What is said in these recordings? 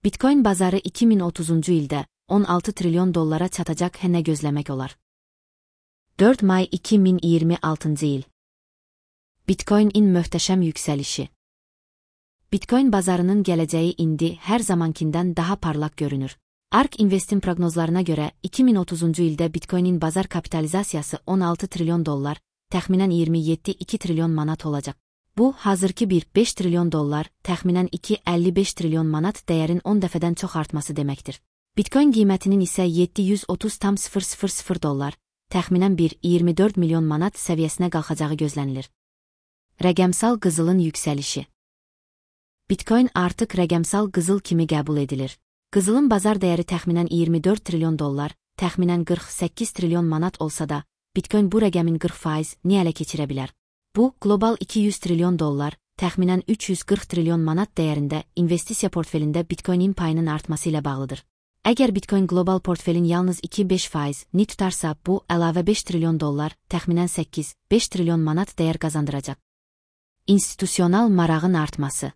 Bitcoin bazarı 2030-cu ildə 16 trilyon dollara çatacaq nə gözləmək olar? 4 may 2026-cı il. Bitcoin-in möhtəşəm yüksəlişi. Bitcoin bazarının gələcəyi indi hər zamankindən daha parlaq görünür. ARK Invest'in proqnozlarına görə 2030-cu ildə Bitcoin-in bazar kapitalizasiyası 16 trilyon dollar, təxminən 27,2 trilyon manat olacaq. Bu, hazırki 1,5 trilyon dollar, təxminən 2,55 trilyon manat dəyərin 10 dəfədən çox artması deməkdir. Bitcoin qiymətinin isə 730,000 dollar, təxminən 1,24 milyon manat səviyyəsinə qalxacağı gözlənilir. Rəqəmsal qızılın yüksəlişi. Bitcoin artıq rəqəmsal qızıl kimi qəbul edilir. Qızılın bazar dəyəri təxminən 24 trilyon dollar, təxminən 48 trilyon manat olsa da, Bitcoin bu rəqəmin 40%-ni ələ keçirə bilər. Bu, qlobal 200 trilyon dollar, təxminən 340 trilyon manat dəyərində investisiya portfelində Bitcoin-in payının artması ilə bağlıdır. Əgər Bitcoin qlobal portfelin yalnız 2-5%-ni tutarsa, bu, əlavə 5 trilyon dollar, təxminən 8-5 trilyon manat dəyər qazandıracaq. İnstitusional marağın artması.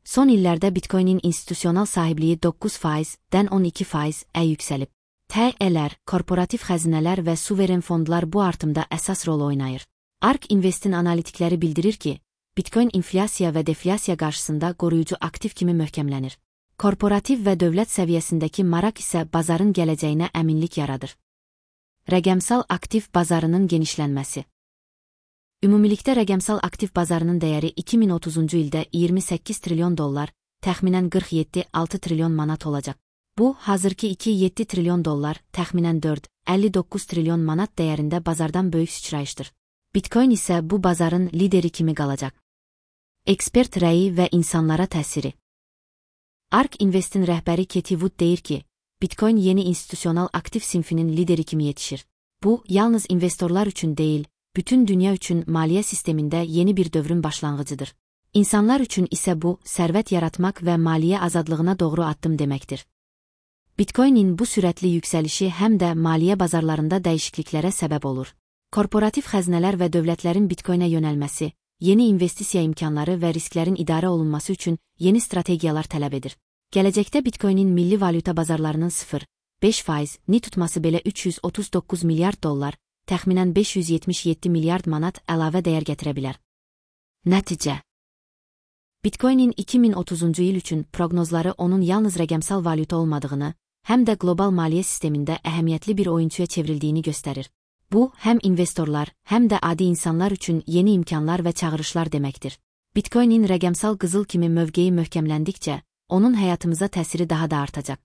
Son illərdə Bitcoin-in institusional sahibliyi 9%-dən 12%-ə yüksəlib. TE-lər, korporativ xəzinələr və suveren fondlar bu artımda əsas rol oynayır. ARK Invest'in analitikləri bildirir ki, Bitcoin inflyasiya və deflyasiya qarşısında qoruyucu aktiv kimi möhkəmlənir. Korporativ və dövlət səviyyəsindəki maraq isə bazarın gələcəyinə əminlik yaradır. Rəqəmsal aktiv bazarının genişlənməsi. Ümumilikdə rəqəmsal aktiv bazarının dəyəri 2030-cu ildə 28 trilyon dollar, təxminən 47,6 trilyon manat olacaq. Bu, hazırki 2,7 trilyon dollar, təxminən 4,59 trilyon manat dəyərində bazardan böyük sıçrayışdır. Bitcoin isə bu bazarın lideri kimi qalacaq. Ekspert rəyi və insanlara təsiri. ARK Invest'in rəhbəri Katie Wood deyir ki, Bitcoin yeni institusional aktiv sinfinin lideri kimi yetişir. Bu, yalnız investorlar üçün deyil, bütün dünya üçün maliyyə sistemində yeni bir dövrün başlanğıcıdır. İnsanlar üçün isə bu, sərvət yaratmaq və maliyyə azadlığına doğru addım deməkdir. Bitcoin-in bu sürətli yüksəlişi həm də maliyyə bazarlarında dəyişikliklərə səbəb olur. Korporativ xəzinələr və dövlətlərin Bitcoin-ə yönəlməsi, yeni investisiya imkanları və risklərin idarə olunması üçün yeni strategiyalar tələb edir. Gələcəkdə Bitcoin-in milli valyuta bazarlarının 0,5%-ni tutması belə 339 milyard dollar, təxminən 577 milyard manat əlavə dəyər gətirə bilər. Nəticə. Bitcoin-in 2030-cu il üçün proqnozları onun yalnız rəqəmsal valyuta olmadığını, həm də qlobal maliyyə sistemində əhəmiyyətli bir oyunçuya çevrildiyini göstərir. Bu, həm investorlar, həm də adi insanlar üçün yeni imkanlar və çağırışlar deməkdir. Bitcoin-in rəqəmsal qızıl kimi mövqeyi möhkəmləndikcə, onun həyatımıza təsiri daha da artacaq.